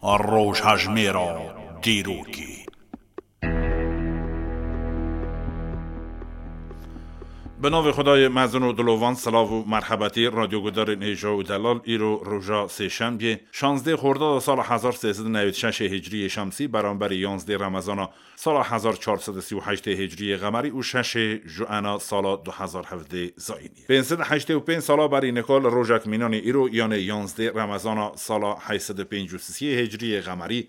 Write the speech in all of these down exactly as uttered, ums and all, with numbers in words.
Rojhejmêra dîrokê. Bi navê Xwedayê mezin û dilovan, silav û merhebetî radyogudarên hêja û delal. Îro roja sêşembiyê, şazdeh Xordada sala hezar sê sed û newêd şeşê Hicriyê Şemsî, beramberî yanzdeh Remezana sala hezar çar sed û sî û heştê Hicriyê Xemerî û şeşê Juena sala du hezar hevdeh Zayînî. Pênc sed û heştê û pênc sala berî nika li rojek mînanî îro, yanê yanzdeh Remezana sala heyt sed û pêncî û sê Hicriyê Xemerî,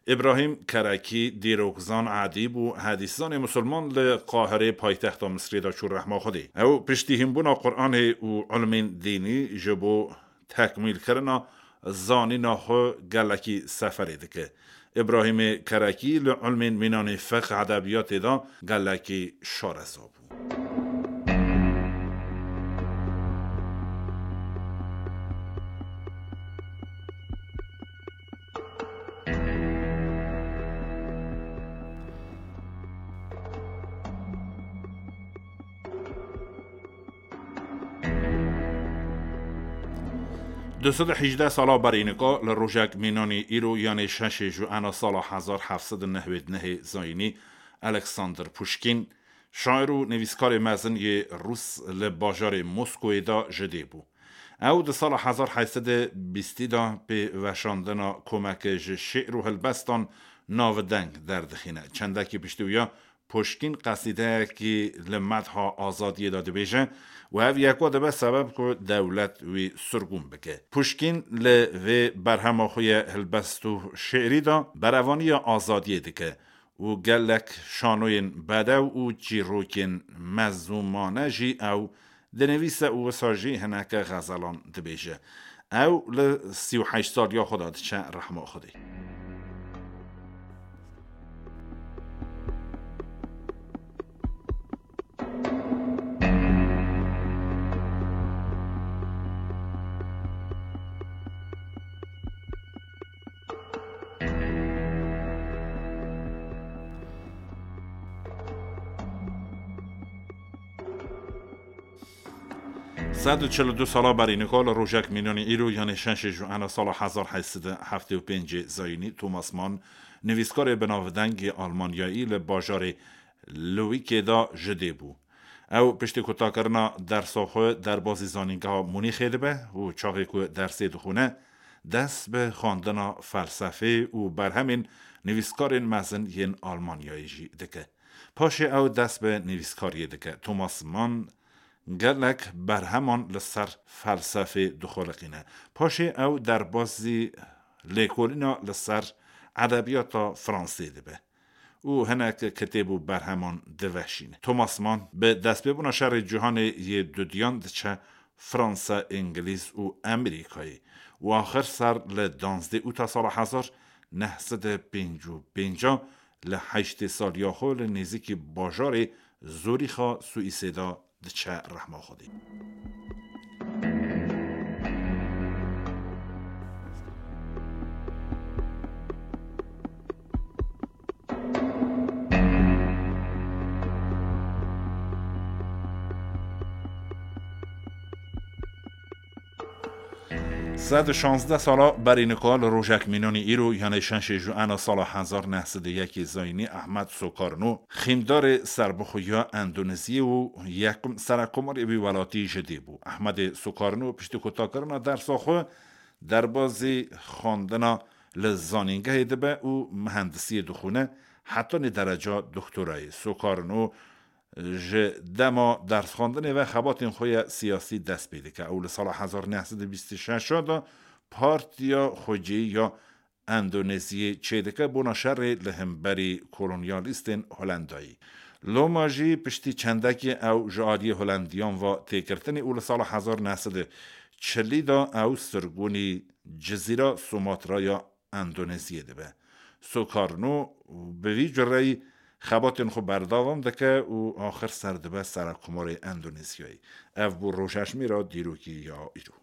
Îbrahîm Kerekî, dîrokzan, edîb û hedîszanê musulman li Qahirê, paytexta Misirê de çû rehma Xwedê. Ew piştî hînbûna Quranê û ilmên dînî ji bo tekmîlkirina zanîna xwe gelekî seferê dike. Îbrahîmê Kerekî li ilmên mînanê fiqh, edebiyatê de gelekî şareza bû. Du sed û hejdeh sala berî nika li rojek mînanî îro, yanê şeşê Juena sala hezar heft sed û newêd nehê Zayînî, Alexander Puşkîn, şair û nivîskarê mezin yê Rûs, li bajarê Moskoyê de ji dê bû. Ew di sala hezar heyt sed û bîstî de pê veşandina komeke ji şi'r û helbestan navdeng derdixîne. Çendekî piştî wî ya Puşkîn qesîdeyekî li medha azadiyê de dibêje û ev yek we dibe sebeb ku dewlet wî sirgûn bike. Puşkîn li vê berhema xwe ye hilbest û şi'rî de berevaniya azadiyê dike û gelek şanoyên bedew û çîrokên mezûmane jî ew dinivîse û wisa jî hineke xezelan dibêje. Ew li sî û heşt saliya xwe de diçe rehma Xwedê. Sed û çil û du sala berî nika li rojek mînanî îro, yanê şeşê Juena sala hezar heyt sed û heftê û pêncê Zayînî, Thomas Mann, nivîskarê binavdeng yê Almanyayî, li bajarê Lübeckê de ji dê bû. Ew piştî kutakirina dersa xwe derbazî zanîngeha Munîxê dibe û çaxê ku dersê dixwîne, dest bi xwendina felsefê û berhemên nivîskarên mezin yên Almanyayê jî dike. Paşê ew dest bi nivîskariyê dike. Thomas Mann gelek berheman li ser felsefê dixuliqîne. Paşê ew derbazî lêkolîna li ser edebiyata Fransê dibe û hinek kitêb û berheman diveşîne. Thomas Mann bi destpêbûna Şerê Cîhanê yê Dudiyan diçe Fransa, Îngilîz û Amerîkayê û axir ser li danzdeh Ûta sala hezar neh sed û pêncî û pênc li heştê saliya xwe li nêzîkî bajarê Zûrîxa Swîsê de diçe rehma Xwedê. Sed û şazdeh sala berî nika li rojek mînanî îro, yanê şeşê Juena sala hezar neh sed û yekê Zayînî, Ahmet Sokarno, xîndarê serbixwe ya Endoneziyê û yekim serekomarê wî welatî ji dê bû. Ahmedê Sokarno piştî kutakirina dersa xwe, derbazî xwendina li zanîngehê dibe û mihendisiyê dixwîne, hetanî dereca doktorayê. Sokarno ji dema dersxwendinê ve xebatên xwe ya siyasî dest pê dike. Ew li sala hezar neh sed û bîst û şeş de Partiya Xwecihî ya Endoneziyê çêdike bona şerê li hemberî kolonyalîstên Holendayî. Loma jî piştî çendekê ew ji aliyê Holendiyan ve têgirtinê û li sala hezar neh sed û çilî de ew sirgûnî cizîra Sumatra ya Endoneziyê dibe. Sokarno bi vî cureyî xebatên xwe berdewam dike û axir ser dibe serekkomarê Endonezyayê. Ev bû rojhejmêra dîrokî ya îro.